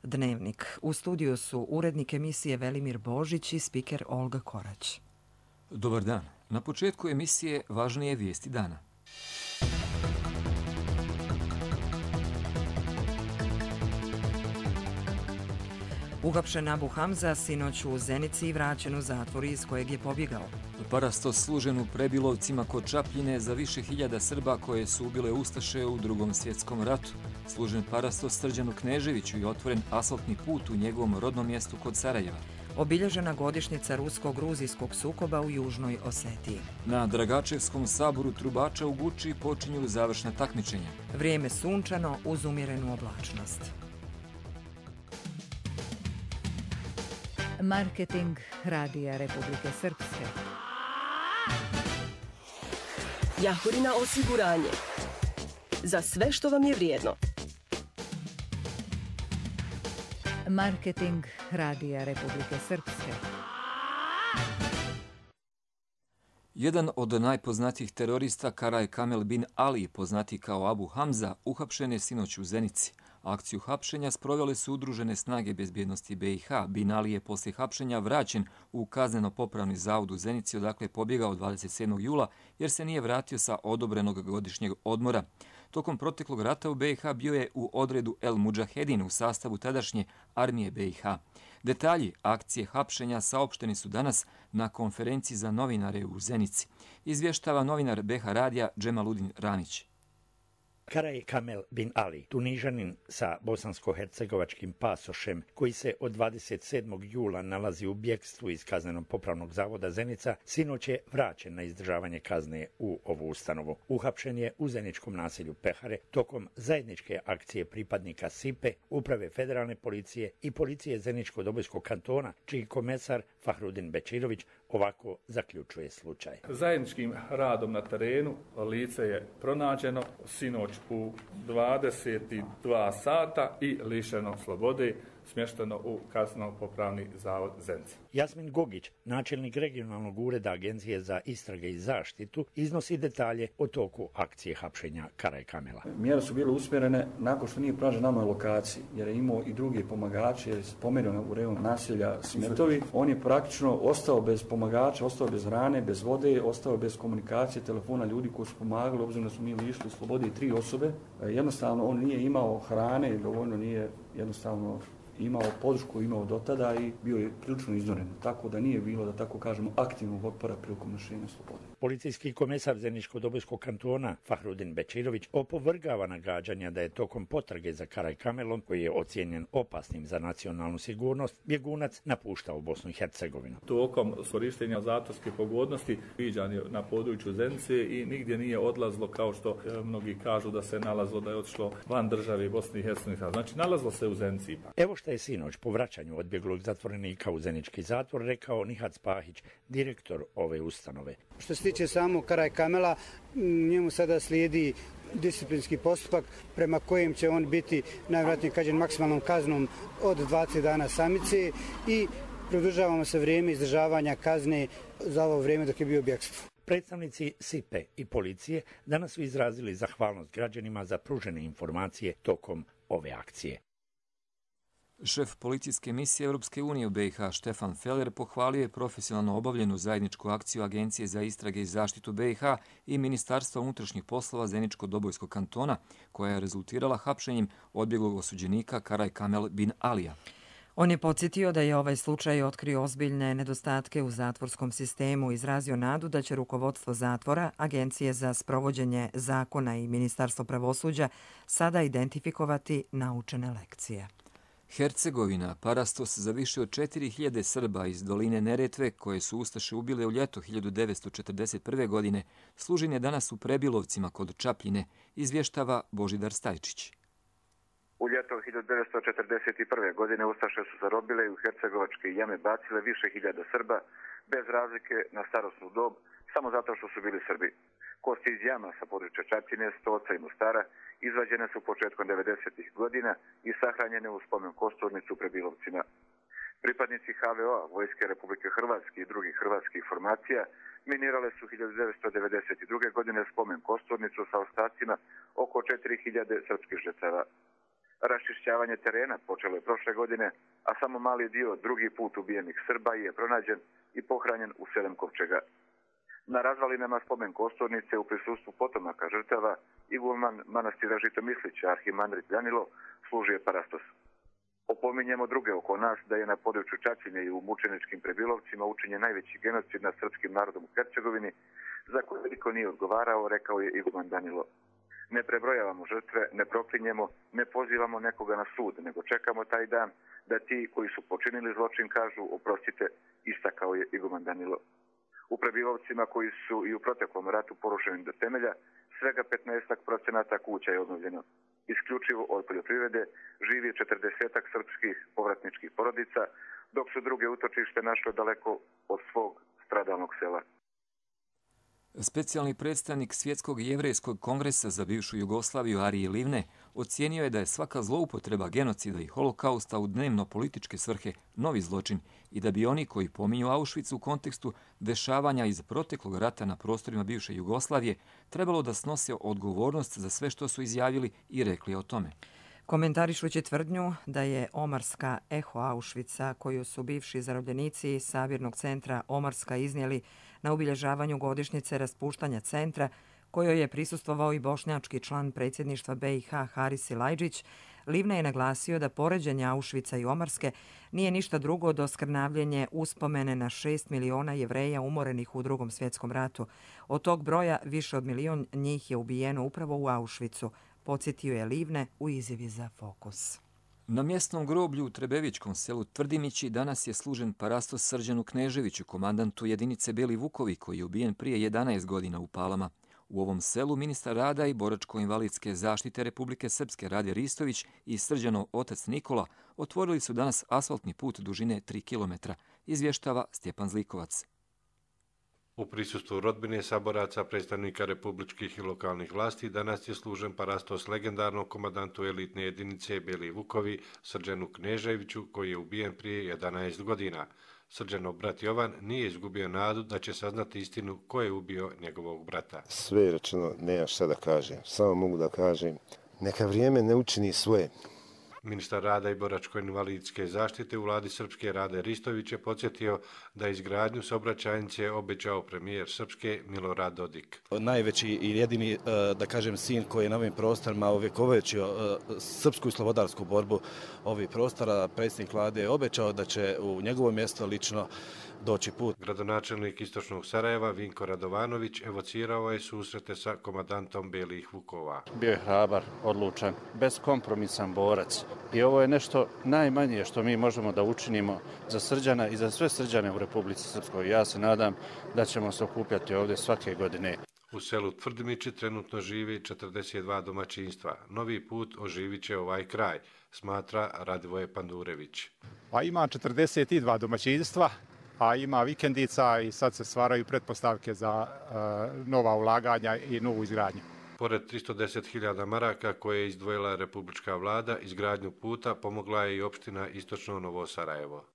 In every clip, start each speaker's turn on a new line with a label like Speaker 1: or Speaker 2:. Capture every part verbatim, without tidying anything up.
Speaker 1: Dnevnik. U studiju su urednik emisije Velimir Božić i spiker Olga Korać.
Speaker 2: Dobar dan. Na početku emisije važnije vijesti dana.
Speaker 1: Uhapšen Abu Hamza sinoć u Zenici i vraćen u zatvor iz kojeg je pobjegao.
Speaker 2: Parastos služen u Prebilovcima kod Čapljine za više hiljada Srba koje su ubile ustaše u Drugom svjetskom ratu. Služen parastos Srđanu Kneževiću i otvoren asfaltni put u njegovom rodnom mjestu kod Sarajeva.
Speaker 1: Obilježena godišnjica rusko-gruzijskog sukoba u Južnoj Osetiji.
Speaker 2: Na Dragačevskom saboru trubača u Guči počinju završna takmičenja.
Speaker 1: Vrijeme sunčano uz umjerenu oblačnost.
Speaker 3: Marketing Radija Republike Srpske.
Speaker 4: Jahorina osiguranje. Za sve što vam je vrijedno.
Speaker 3: Marketing Radija Republike Srpske.
Speaker 2: Jedan od najpoznatijih terorista, Karaj Kamel bin Ali, poznati kao Abu Hamza, uhapšen je sinoć u Zenici. Akciju hapšenja sprovele su udružene snage bezbjednosti B i H. Bin Ali je poslije hapšenja vraćen u kazneno-popravni zavod u Zenici, odakle je pobjegao dvadeset sedmog jula jer se nije vratio sa odobrenog godišnjeg odmora. Tokom proteklog rata u B i H bio je u odredu El Mudžahedin u sastavu tadašnje armije B i H. Detalji akcije hapšenja saopšteni su danas na konferenciji za novinare u Zenici. Izvještava novinar B H radija Džemaludin Ramić.
Speaker 5: Karaj Kamel bin Ali, Tunižanin sa bosansko-hercegovačkim pasošem, koji se od dvadeset sedmog jula nalazi u bjekstvu iz kazneno-popravnog zavoda Zenica, sinoć je vraćen na izdržavanje kazne u ovu ustanovu. Uhapšen je u zeničkom naselju Pehare tokom zajedničke akcije pripadnika SIPE, Uprave federalne policije i policije Zeničko-Dobojskog kantona, čiji komesar Fahrudin Bečirović ovako zaključuje slučaj.
Speaker 6: Zajedničkim radom na terenu lice je pronađeno sinoć u dvadeset dva sata i lišeno slobode, smješteno u kazneno-popravni zavod Zenica.
Speaker 5: Jasmin Gogić, načelnik regionalnog ureda Agencije za istrage i zaštitu, iznosi detalje o toku akcije hapšenja Karaj Kamela.
Speaker 7: Mjere su bile usmjerene nakon što nije pronađen na novoj lokaciji, jer je imao i druge pomagače, jer je spomenuo u rejonu naselja Smetovi. On je praktično ostao bez pomagača, ostao bez hrane, bez vode, ostao bez komunikacije, telefona ljudi koji su pomagali, obzirom da su mi lišili slobode i tri osobe. Jednostavno on nije imao hrane, dovoljno nije jednostavno imao podršku, imao do tada i bio je prilično iznoren. Tako da nije bilo, da tako kažemo, aktivnog otpora prilikom nošenja slobode.
Speaker 5: Policijski komesar Zeničko-Dobojskog kantona Fahrudin Bečirović opovrgava nagađanja da je tokom potrage za Karaj Kamelom, koji je ocijenjen opasnim za nacionalnu sigurnost, bjegunac napuštao Bosnu i Hercegovinu.
Speaker 6: Tokom korištenja zatvorske pogodnosti viđan je na području Zenice i nigdje nije odlazlo kao što e, mnogi kažu da se nalazlo, da je otišlo van države Bosne i Hercegovine. Znači nalazlo se u Zenici ipak.
Speaker 5: Evo što je sinoć po vraćanju odbjeglog zatvorenika u zenički zatvor rekao Nihat Spahić, direktor ove ustanove.
Speaker 8: Što se tiče samog Karaj Kamela, njemu sada slijedi disciplinski postupak prema kojem će on biti najvjerojatnije kažem maksimalnom kaznom od dvadeset dana samice i produžavamo se vrijeme izdržavanja kazne za ovo vrijeme dok je bio u bjekstvu.
Speaker 5: Predstavnici SIPE i policije danas su izrazili zahvalnost građanima za pružene informacije tokom ove akcije.
Speaker 2: Šef policijske misije Europske unije u B i H Štefan Feller pohvalio je profesionalno obavljenu zajedničku akciju Agencije za istrage i zaštitu B i H i Ministarstva unutrašnjih poslova Zeničko-Dobojskog kantona, koja je rezultirala hapšenjem odbjeglog osuđenika Karaj Kamel bin Alija.
Speaker 1: On je podsjetio da je ovaj slučaj otkrio ozbiljne nedostatke u zatvorskom sistemu, izrazio nadu da će rukovodstvo zatvora, Agencije za sprovođenje zakona i Ministarstvo pravosuđa sada identifikovati naučene lekcije.
Speaker 2: Hercegovina, parastos za više od četiri hiljade Srba iz doline Neretve, koje su ustaše ubile u ljeto hiljadu devetsto četrdeset prve. godine, služen je danas u Prebilovcima kod Čapljine, izvještava Božidar Stajčić.
Speaker 9: U ljeto hiljadu devetsto četrdeset prve. godine ustaše su zarobile i u hercegovačke jame bacile više hiljada Srba, bez razlike na starosnu dob, samo zato što su bili Srbi. Kosti iz jama sa područja Čapljine, Stoca i Mostara izvađene su početkom devedesetih godina i sahranjene u spomen kosturnicu u Prebilovcima. Pripadnici H V O-a, Vojske Republike Hrvatske i drugih hrvatskih formacija minirale su hiljadu devetsto devedeset druge. godine spomen kosturnicu sa ostacima oko četiri hiljade srpskih žrtava. Raščišćavanje terena počelo je prošle godine, a samo mali dio drugi put ubijenih Srba je pronađen i pohranjen u sedam kovčega. Na razvalinama spomen kosturnice u prisustvu potomaka žrtava iguman manastira Žitomislića, arhimandrit Danilo, služio je parastos. Opominjemo druge oko nas da je na području Čačine i u mučeničkim Prebilovcima učinjen najveći genocid nad srpskim narodom u Hercegovini, za koje niko nije odgovarao, rekao je iguman Danilo. Ne prebrojavamo žrtve, ne proklinjemo, ne pozivamo nekoga na sud, nego čekamo taj dan da ti koji su počinili zločin kažu oprostite, istakao je iguman Danilo. U Prebivovcima koji su i u proteklom ratu porušeni do temelja, svega petnaest procenata kuća je obnovljeno. Isključivo od poljoprivrede živi četrdesetak srpskih povratničkih porodica, dok su druge utočište našle daleko od svog stradalnog sela.
Speaker 2: Specijalni predstavnik Svjetskog jevrejskog kongresa za bivšu Jugoslaviju Arije Livne ocijenio je da je svaka zloupotreba genocida i holokausta u dnevno političke svrhe novi zločin i da bi oni koji pominju Auschwitz u kontekstu dešavanja iz proteklog rata na prostorima bivše Jugoslavije trebalo da snose odgovornost za sve što su izjavili i rekli o tome.
Speaker 1: Komentarišući tvrdnju da je Omarska eho Auschwitza, koju su bivši zarobljenici sabirnog centra Omarska iznijeli na obilježavanju godišnjice raspuštanja centra, kojoj je prisustvovao i bošnjački član predsjedništva be i ha Haris Silajdžić, Livne je naglasio da poređenje Auschwitza i Omarske nije ništa drugo do skrnavljenje uspomene na šest miliona Jevreja umorenih u Drugom svjetskom ratu. Od tog broja više od milion njih je ubijeno upravo u Auschwitzu, podsjetio je Livne u izjavi za Fokus.
Speaker 2: Na mjesnom groblju u Trebevičkom selu Tvrdimići danas je služen parastos Srđanu Kneževiću, komandantu jedinice Beli Vukovi, koji je ubijen prije jedanaest godina u Palama. U ovom selu ministar rada i boračko-invalidske zaštite Republike Srpske Rade Ristović i Srđanov otac Nikola otvorili su danas asfaltni put dužine tri kilometra, izvještava Stjepan Zlikovac.
Speaker 10: U prisustvu rodbine, saboraca, predstavnika republičkih i lokalnih vlasti danas je služen parastos legendarnog komandantu elitne jedinice Beli Vukovi Srđanu Kneževiću, koji je ubijen prije jedanaest godina. Srđanov brat Jovan nije izgubio nadu da će saznati istinu ko je ubio njegovog brata.
Speaker 11: Sve je rečeno, nema šta da kažem. Samo mogu da kažem, neka vrijeme ne učini svoje.
Speaker 10: Ministar rada i boračko-invalidske zaštite u vladi Srpske Rade Ristović je podsjetio da izgradnju saobraćajnice obećao premijer Srpske Milorad Dodik.
Speaker 12: Najveći i jedini, da kažem, sin koji je na ovim prostorima ovekovečio srpsku i slobodarsku borbu ovih prostora, predsjednik vlade je obećao da će u njegovo mjesto lično doći put.
Speaker 10: Gradonačelnik Istočnog Sarajeva Vinko Radovanović evocirao je susrete sa komandantom Belih Vukova.
Speaker 13: Bio je hrabar, odlučan, beskompromisan borac. I ovo je nešto najmanje što mi možemo da učinimo za Srđana i za sve Srđane u Republici Srpskoj. Ja se nadam da ćemo se okupljati ovdje svake godine.
Speaker 10: U selu Tvrdimići trenutno živi četrdeset dva domaćinstva. Novi put oživit će ovaj kraj, smatra Radivoje Pandurević.
Speaker 14: Pa ima četrdeset dva domaćinstva, a ima vikendica i sad se stvaraju pretpostavke za uh, nova ulaganja i novu izgradnju.
Speaker 10: Pored tristo deset hiljada maraka koje je izdvojila republička vlada, izgradnju puta pomogla je i opština Istočno Novo Sarajevo.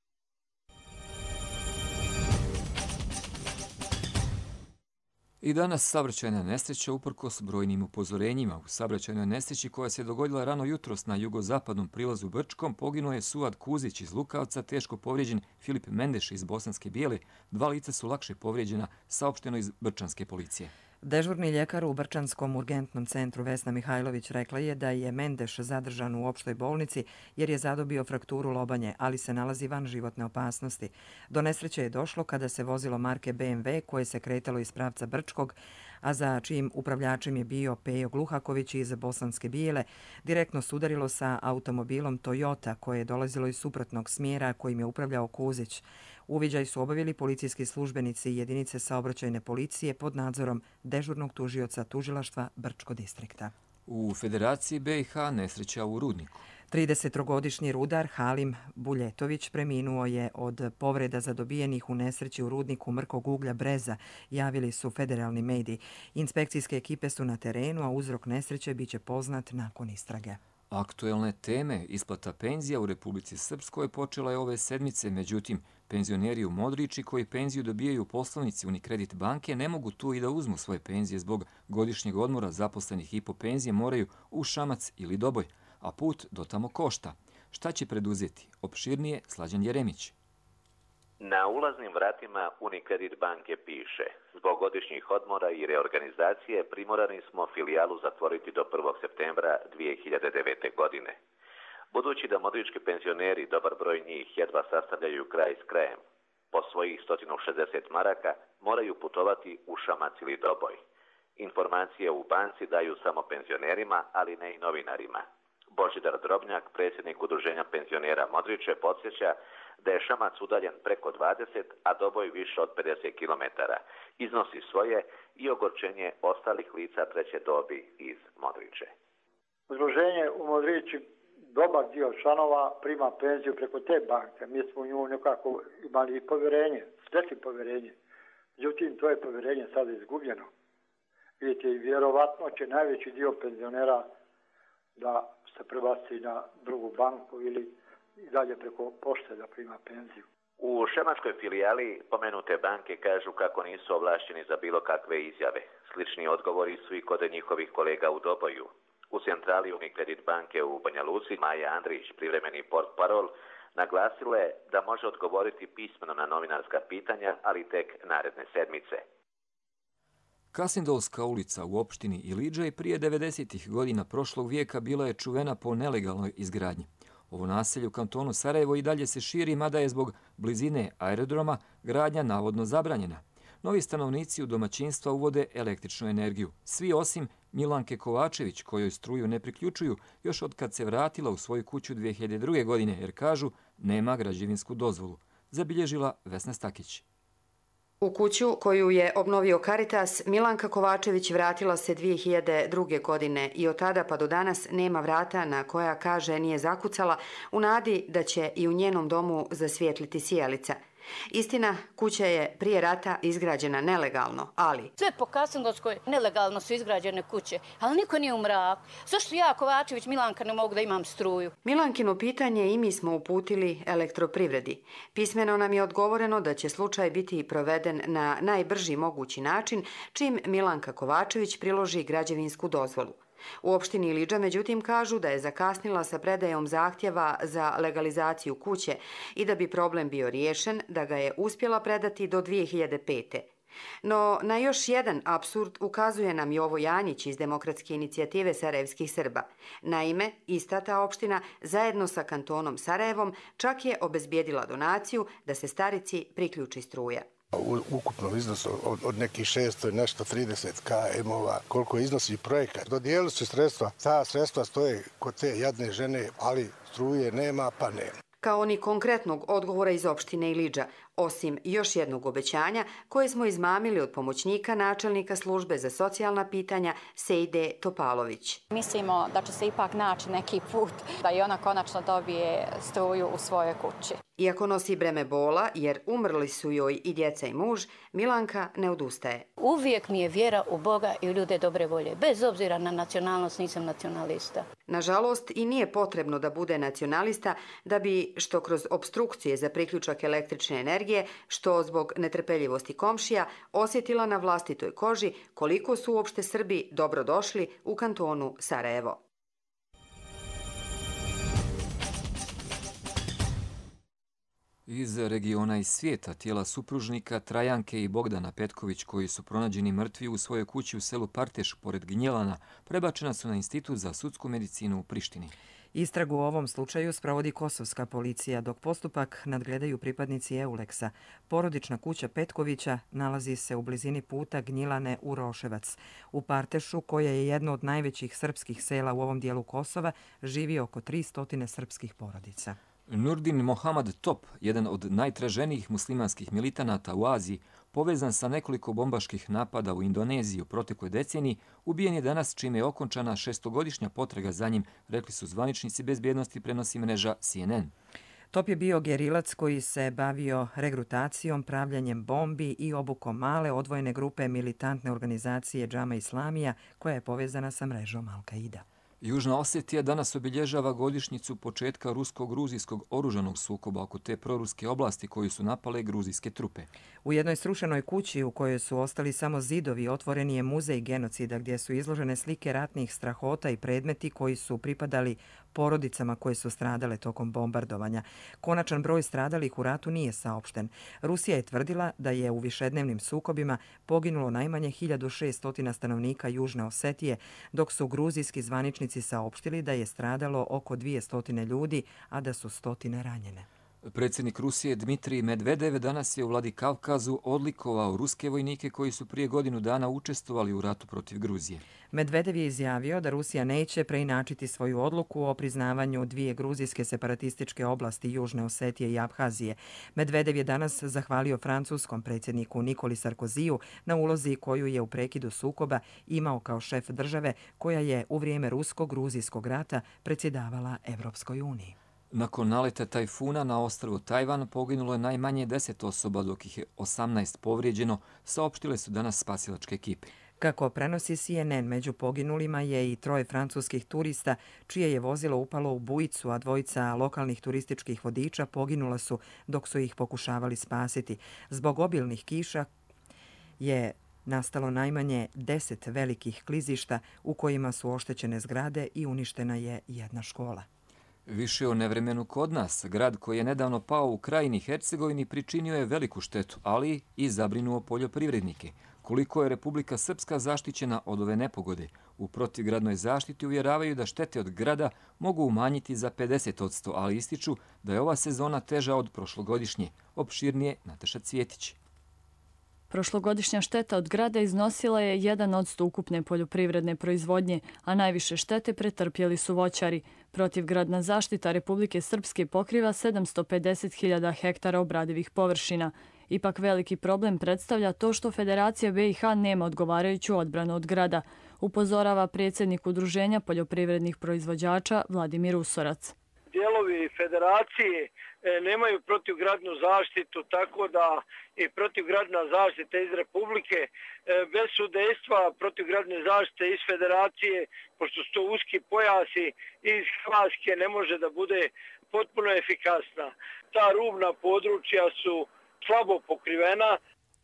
Speaker 2: I danas saobraćajna nesreća uprkos brojnim upozorenjima. U saobraćajnoj nesreći koja se dogodila rano jutros na jugozapadnom prilazu Brčkom poginuo je Suad Kuzić iz Lukavca, teško povrijeđen Filip Mendeš iz Bosanske Bijele. Dva lica su lakše povrijeđena, saopšteno iz Brčanske policije.
Speaker 1: Dežurni ljekar u Brčanskom urgentnom centru Vesna Mihajlović rekla je da je Mendeš zadržan u opštoj bolnici jer je zadobio frakturu lobanje, ali se nalazi van životne opasnosti. Do nesreće je došlo kada se vozilo marke be em ve koje se kretalo iz pravca Brčkog, a za čijim upravljačem je bio Pejo Gluhaković iz Bosanske Bijele, direktno sudarilo sa automobilom Toyota koje je dolazilo iz suprotnog smjera kojim je upravljao Kuzić. Uviđaj su obavili policijski službenici i jedinice saobraćajne policije pod nadzorom dežurnog tužioca tužilaštva Brčko distrikta.
Speaker 2: U Federaciji be i ha nesreća u Rudniku.
Speaker 1: tridesetogodišnji rudar Halim Buljetović preminuo je od povreda zadobijenih u nesreći u rudniku mrkog uglja Breza, javili su federalni mediji. Inspekcijske ekipe su na terenu, a uzrok nesreće biće poznat nakon istrage.
Speaker 2: Aktuelne teme, isplata penzija u Republici Srpskoj počela je ove sedmice, međutim, penzioneri u Modriči koji penziju dobijaju u poslovnici Unikredit banke ne mogu tu i da uzmu svoje penzije zbog godišnjeg odmora zaposlenih i po penzije moraju u Šamac ili Doboj, a put do tamo košta. Šta će preduzeti? Opširnije Slađan Jeremić.
Speaker 15: Na ulaznim vratima Unicredit banke piše: zbog godišnjih odmora i reorganizacije primorani smo filijalu zatvoriti do prvog septembra dvije hiljade devete. godine. Budući da modrički penzioneri, dobar broj njih, jedva sastavljaju kraj s krajem, po svojih sto šezdeset maraka moraju putovati u Šamac ili Doboj. Informacije u banci daju samo penzionerima, ali ne i novinarima. Božidar Drobnjak, predsjednik udruženja penzionera Modriče, podsjeća da je Šamac udaljen preko dvadeset, a Doboj više od pedeset kilometara. Iznosi svoje i ogorčenje ostalih lica treće dobi iz Modriče.
Speaker 16: Udruženje u Modriči, dobar dio članova prima penziju preko te banke. Mi smo u nju nekako imali povjerenje, stekli povjerenje. Međutim, to je povjerenje sada izgubljeno. Vidite, i vjerovatno će najveći dio penzionera da se prebaci na drugu banku ili i dalje preko pošte da prima penziju.
Speaker 15: U šemačkoj filijali pomenute banke kažu kako nisu ovlašćeni za bilo kakve izjave. Slični odgovori su i kod njihovih kolega u Doboju. U centrali Unicredit banke u Banja Luci Maja Andrić, privremeni portparol, naglasila je da može odgovoriti pismeno na novinarska pitanja, ali tek naredne sedmice.
Speaker 2: Kasindolska ulica u opštini Iliđaj prije devedesetih godina prošlog vijeka bila je čuvena po nelegalnoj izgradnji. Ovo naselje u kantonu Sarajevo i dalje se širi, mada je zbog blizine aerodroma gradnja navodno zabranjena. Novi stanovnici u domaćinstva uvode električnu energiju. Svi osim Milanke Kovačević, kojoj struju ne priključuju još od kad se vratila u svoju kuću dvije hiljade druge. godine, jer kažu nema građevinsku dozvolu. Zabilježila Vesna Stakić.
Speaker 17: U kuću koju je obnovio Caritas, Milanka Kovačević vratila se dvije hiljade druge. godine i od tada pa do danas nema vrata na koja, kaže, nije zakucala u nadi da će i u njenom domu zasvijetliti sijalica. Istina, kuća je prije rata izgrađena nelegalno, ali...
Speaker 18: Sve po Kasindolskoj nelegalno su izgrađene kuće, ali niko nije u mraku. Zašto ja, Kovačević, Milanka, ne mogu da imam struju?
Speaker 17: Milankino pitanje i mi smo uputili elektroprivredi. Pismeno nam je odgovoreno da će slučaj biti proveden na najbrži mogući način, čim Milanka Kovačević priloži građevinsku dozvolu. U opštini Iliđa, međutim, kažu da je zakasnila sa predajom zahtjeva za legalizaciju kuće i da bi problem bio riješen, da ga je uspjela predati do dvije hiljade pete. No, na još jedan apsurd ukazuje nam Jovo Janjić iz Demokratske inicijative sarajevskih Srba. Naime, ista ta opština, zajedno sa kantonom Sarajevom, čak je obezbijedila donaciju da se Starici priključi struja.
Speaker 19: U ukupnom iznosu od, od nekih šesto i nešto trideset kilometara, koliko iznosi projekat. Dodijelili su sredstva, ta sredstva stoje kod te jadne žene, ali struje nema pa nema.
Speaker 17: Kao ni konkretnog odgovora iz opštine Iliđa, osim još jednog obećanja koje smo izmamili od pomoćnika načelnika službe za socijalna pitanja Sejde Topalović.
Speaker 20: Mislimo da će se ipak naći neki put da i ona konačno dobije struju u svojoj kući.
Speaker 17: Iako nosi breme bola, jer umrli su joj i djeca i muž, Milanka ne odustaje.
Speaker 18: Uvijek mi je vjera u Boga i u ljude dobre volje. Bez obzira na nacionalnost, nisam nacionalista.
Speaker 17: Nažalost, i nije potrebno da bude nacionalista da bi, što kroz obstrukcije za priključak električne energije, što zbog netrpeljivosti komšija, osjetila na vlastitoj koži koliko su uopšte Srbi dobrodošli u kantonu Sarajevo.
Speaker 2: Iz regiona i svijeta tijela supružnika Trajanke i Bogdana Petković, koji su pronađeni mrtvi u svojoj kući u selu Parteš pored Gnjelana, prebačena su na Institut za sudsku medicinu u Prištini.
Speaker 1: Istragu u ovom slučaju sprovodi kosovska policija, dok postupak nadgledaju pripadnici Euleksa. Porodična kuća Petkovića nalazi se u blizini puta Gnjilane u Roševac. U Partešu, koje je jedno od najvećih srpskih sela u ovom dijelu Kosova, živi oko tristo srpskih porodica.
Speaker 2: Nurdin Mohamed Top, jedan od najtraženijih muslimanskih militanata u Aziji, povezan sa nekoliko bombaških napada u Indoneziji u protekloj deceniji, ubijen je danas čime je okončana šestogodišnja potraga za njim, rekli su zvaničnici bezbjednosti, prenosi mreža C N N.
Speaker 1: Top je bio gerilac koji se bavio regrutacijom, pravljanjem bombi i obukom male odvojene grupe militantne organizacije Džama Islamija, koja je povezana sa mrežom Al-Qaida.
Speaker 2: Južna Osetija danas obilježava godišnjicu početka rusko-gruzijskog oružanog sukoba oko te proruske oblasti koju su napale gruzijske trupe.
Speaker 1: U jednoj srušenoj kući u kojoj su ostali samo zidovi otvoreni je muzej genocida gdje su izložene slike ratnih strahota i predmeti koji su pripadali porodicama koje su stradale tokom bombardovanja. Konačan broj stradalih u ratu nije saopšten. Rusija je tvrdila da je u višednevnim sukobima poginulo najmanje hiljadu šesto stanovnika Južne Osetije, dok su gruzijski zvaničnici saopštili da je stradalo oko dvjesto ljudi, a da su stotine ranjene.
Speaker 2: Predsjednik Rusije Dmitrij Medvedev danas je u Vladikavkazu odlikovao ruske vojnike koji su prije godinu dana učestvovali u ratu protiv Gruzije.
Speaker 1: Medvedev je izjavio da Rusija neće preinačiti svoju odluku o priznavanju dvije gruzijske separatističke oblasti Južne Osetije i Abhazije. Medvedev je danas zahvalio francuskom predsjedniku Nikoli Sarkoziju na ulozi koju je u prekidu sukoba imao kao šef države koja je u vrijeme rusko-gruzijskog rata predsjedavala Evropskoj uniji.
Speaker 2: Nakon naleta tajfuna na ostrvu Tajvan poginulo je najmanje deset osoba, dok ih je osamnaest povrijeđeno, saopštile su danas spasilačke ekipe.
Speaker 1: Kako prenosi C N N, među poginulima je i troje francuskih turista, čije je vozilo upalo u bujicu, a dvojica lokalnih turističkih vodiča poginula su dok su ih pokušavali spasiti. Zbog obilnih kiša je nastalo najmanje deset velikih klizišta u kojima su oštećene zgrade i uništena je jedna škola.
Speaker 2: Više o nevremenu kod nas. Grad koji je nedavno pao u Krajini Hercegovini pričinio je veliku štetu, ali i zabrinuo poljoprivrednike. Koliko je Republika Srpska zaštićena od ove nepogode? U protivgradnoj zaštiti uvjeravaju da štete od grada mogu umanjiti za pedeset posto, ali ističu da je ova sezona teža od prošlogodišnje. Opširnije Nataša Cvjetić.
Speaker 21: Prošlogodišnja šteta od grada iznosila je jedan posto ukupne poljoprivredne proizvodnje, a najviše štete pretrpjeli su voćari. Protivgradna zaštita Republike Srpske pokriva sedamsto pedeset hiljada hektara obradivih površina. Ipak veliki problem predstavlja to što Federacija B i H nema odgovarajuću odbranu od grada, upozorava predsjednik Udruženja poljoprivrednih proizvođača Vladimir Usorac.
Speaker 22: Dijelovi federacije nemaju protivgradnu zaštitu, tako da i protivgradna zaštita iz Republike bez sudejstva protivgradne zaštite iz federacije, pošto su to uski pojasi iz Hrvatske, ne može da bude potpuno efikasna. Ta rubna područja su slabo pokrivena.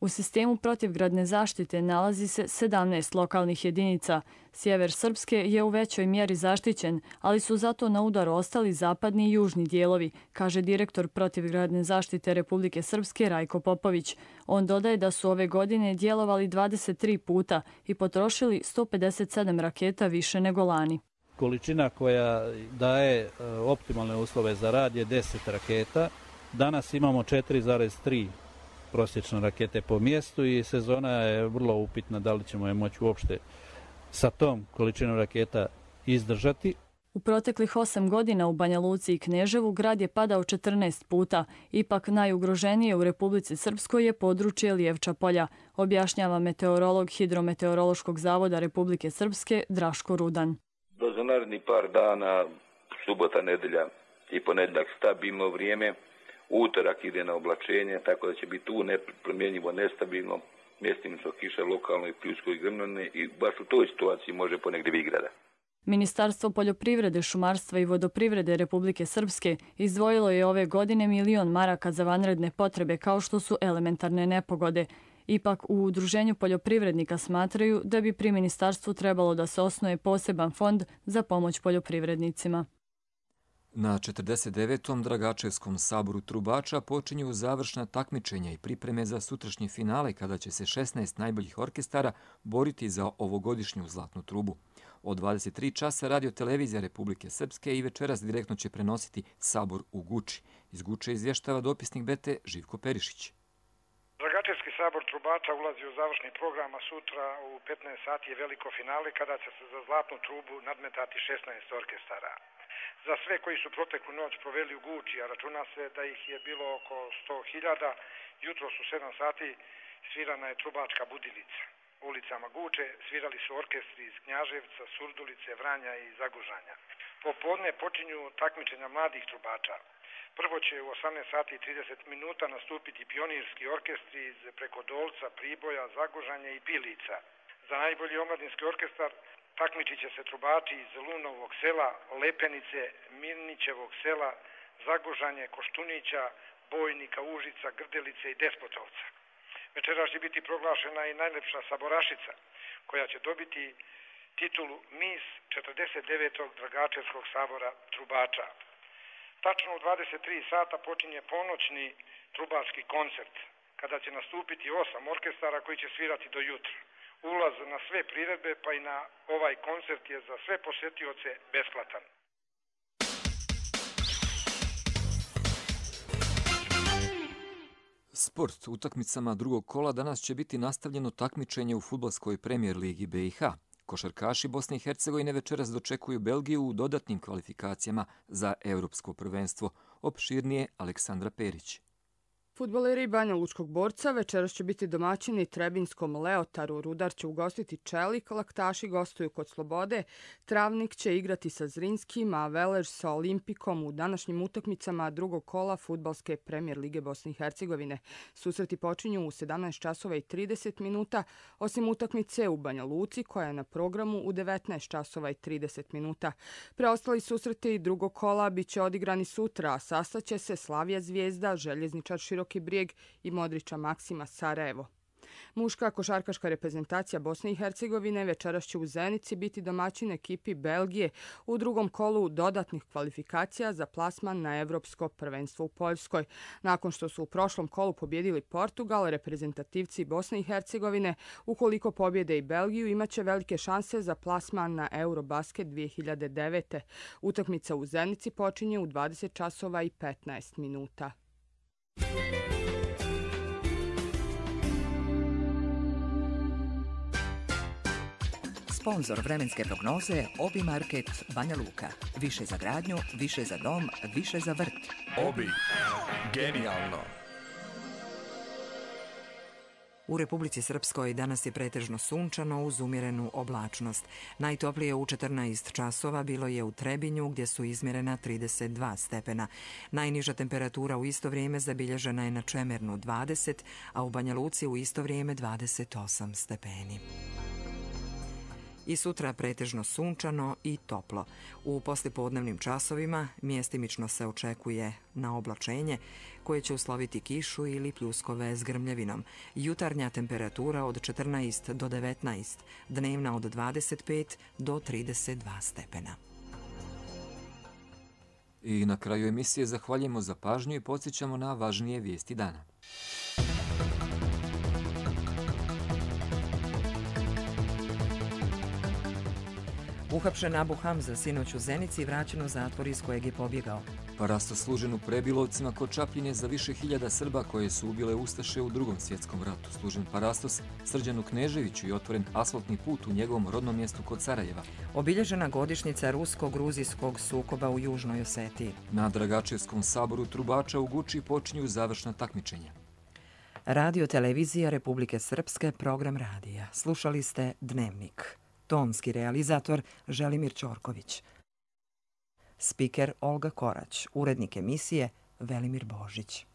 Speaker 21: U sistemu protivgradne zaštite nalazi se sedamnaest lokalnih jedinica. Sjever Srpske je u većoj mjeri zaštićen, ali su zato na udaru ostali zapadni i južni dijelovi, kaže direktor protivgradne zaštite Republike Srpske Rajko Popović. On dodaje da su ove godine djelovali dvadeset tri puta i potrošili sto pedeset sedam raketa više nego lani.
Speaker 23: Količina koja daje optimalne uslove za rad je deset raketa. Danas imamo četiri zarez tri prosječne rakete po mjestu i sezona je vrlo upitna da li ćemo je moći uopšte sa tom količinom raketa izdržati.
Speaker 21: U proteklih osam godina u Banja Luci i Kneževu grad je padao četrnaest puta. Ipak najugroženije u Republici Srpskoj je područje Lijevča polja, objašnjava meteorolog Hidrometeorološkog zavoda Republike Srpske Draško Rudan.
Speaker 24: Do za naredni par dana, subota, nedelja i ponedjeljak stabilno vrijeme. Utorak ide na oblačenje, tako da će biti tu nepromjenjivo nestabilno, mjestimično kiša, lokalno i pljusko i grmljene i baš u toj situaciji može ponegdje igrada.
Speaker 21: Ministarstvo poljoprivrede, šumarstva i vodoprivrede Republike Srpske izdvojilo je ove godine milion maraka za vanredne potrebe kao što su elementarne nepogode. Ipak u Udruženju poljoprivrednika smatraju da bi pri ministarstvu trebalo da se osnuje poseban fond za pomoć poljoprivrednicima.
Speaker 2: Na četrdeset devetom Dragačevskom saboru trubača počinju završna takmičenja i pripreme za sutrašnje finale kada će se šesnaest najboljih orkestara boriti za ovogodišnju zlatnu trubu. Od dvadeset tri časa Radio-televizija Republike Srpske i večeras direktno će prenositi sabor u Guči. Iz Guče izvještava dopisnik B T Živko Perišić.
Speaker 25: Dragačevski sabor trubača ulazi u završni program, a sutra u petnaest sati je veliko finale kada će se za zlatnu trubu nadmetati šesnaest orkestara. Za sve koji su proteklu noć proveli u Guči, a računa se da ih je bilo oko sto hiljada, jutro su sedam sati svirana je trubačka budilica. Ulicama Guče svirali su orkestri iz Knjaževca, Surdulice, Vranja i Zagužanja. Popodne počinju takmičenja mladih trubača. Prvo će u osamnaest sati i trideset minuta nastupiti pionirski orkestri iz Prekodolca, Priboja, Zagužanja i Pilica. Za najbolji omladinski orkestar takmičit će se trubači iz Lunovog sela, Lepenice, Mirnićevog sela, Zagužanje, Koštunića, Bojnika, Užica, Grdelice i Despotovca. Večeras će biti proglašena i najlepša saborašica, koja će dobiti titulu Mis četrdeset devetog Dragačevskog sabora trubača. Tačno u dvadeset tri sata počinje ponoćni trubački koncert, kada će nastupiti osam orkestara koji će svirati do jutra. Ulaz na sve priredbe pa i na ovaj koncert je za sve posjetioce besplatan.
Speaker 2: Sport. Utakmicama drugog kola danas će biti nastavljeno takmičenje u fudbalskoj premijer ligi B i H. Košarkaši Bosne i Hercegovine večeras dočekuju Belgiju u dodatnim kvalifikacijama za Europsko prvenstvo. Opširnije Aleksandra Perić.
Speaker 3: Fudbaleri Banja Lučkog Borca večeras će biti domaćini Trebinskom Leotaru, Rudar će ugostiti Čelik, Laktaši gostuju kod Slobode, Travnik će igrati sa Zrinskim, a Velež sa Olimpikom u današnjim utakmicama drugog kola fudbalske premijer lige Bosne i Hercegovine. Susreti počinju u sedamnaest časova i trideset minuta, osim utakmice u Banja Luci koja je na programu u devetnaest časova i trideset minuta. Preostali susreti drugog kola bit će odigrani sutra, a sastaće se Slavija Zvijezda, Željezničar Široki Brijeg i Modrića Maksima Sarajevo. Muška košarkaška reprezentacija Bosne i Hercegovine večeras će u Zenici biti domaćin ekipi Belgije u drugom kolu dodatnih kvalifikacija za plasman na Evropsko prvenstvo u Poljskoj. Nakon što su u prošlom kolu pobjedili Portugal, reprezentativci Bosne i Hercegovine, ukoliko pobjede i Belgiju, imaće velike šanse za plasman na Eurobasket dvije hiljade devete. Utakmica u Zenici počinje u dvadeset časova i petnaest minuta.
Speaker 4: Sponzor vremenske prognoze Obi Market Banja Luka. Više za gradnju, više za dom, više za vrt.
Speaker 6: Obi. Genijalno.
Speaker 1: U Republici Srpskoj danas je pretežno sunčano uz umjerenu oblačnost. Najtoplije u četrnaest časova bilo je u Trebinju gdje su izmjerena trideset dva stepena. Najniža temperatura u isto vrijeme zabilježena je na Čemernu dvadeset, a u Banja Luci u isto vrijeme dvadeset osam stepeni. I sutra pretežno sunčano i toplo. U poslijepodnevnim časovima mjestimično se očekuje na oblačenje koje će usloviti kišu ili pljuskove s grmljavinom. Jutarnja temperatura od četrnaest do devetnaest, dnevna od dvadeset pet do trideset dva stepena.
Speaker 2: I na kraju emisije zahvaljujemo za pažnju i podsjećamo na važnije vijesti dana.
Speaker 1: Uhapšen Abu Hamza sinoć u Zenici i vraćen u zatvor iz kojeg je pobjegao.
Speaker 2: Parastos služen u Prebilovcima kod Čapljine za više hiljada Srba koje su ubile Ustaše u drugom svjetskom ratu. Služen parastos Srđanu Kneževiću i otvoren asfaltni put u njegovom rodnom mjestu kod Sarajeva.
Speaker 1: Obilježena godišnjica rusko-gruzijskog sukoba u Južnoj Osetiji.
Speaker 2: Na Dragačevskom saboru trubača u Guči počinju završna takmičenja.
Speaker 1: Radio televizija Republike Srpske, program radija. Slušali ste Dnevnik. Tonski realizator Želimir Ćorković. Spiker Olga Korać. Urednik emisije Velimir Božić.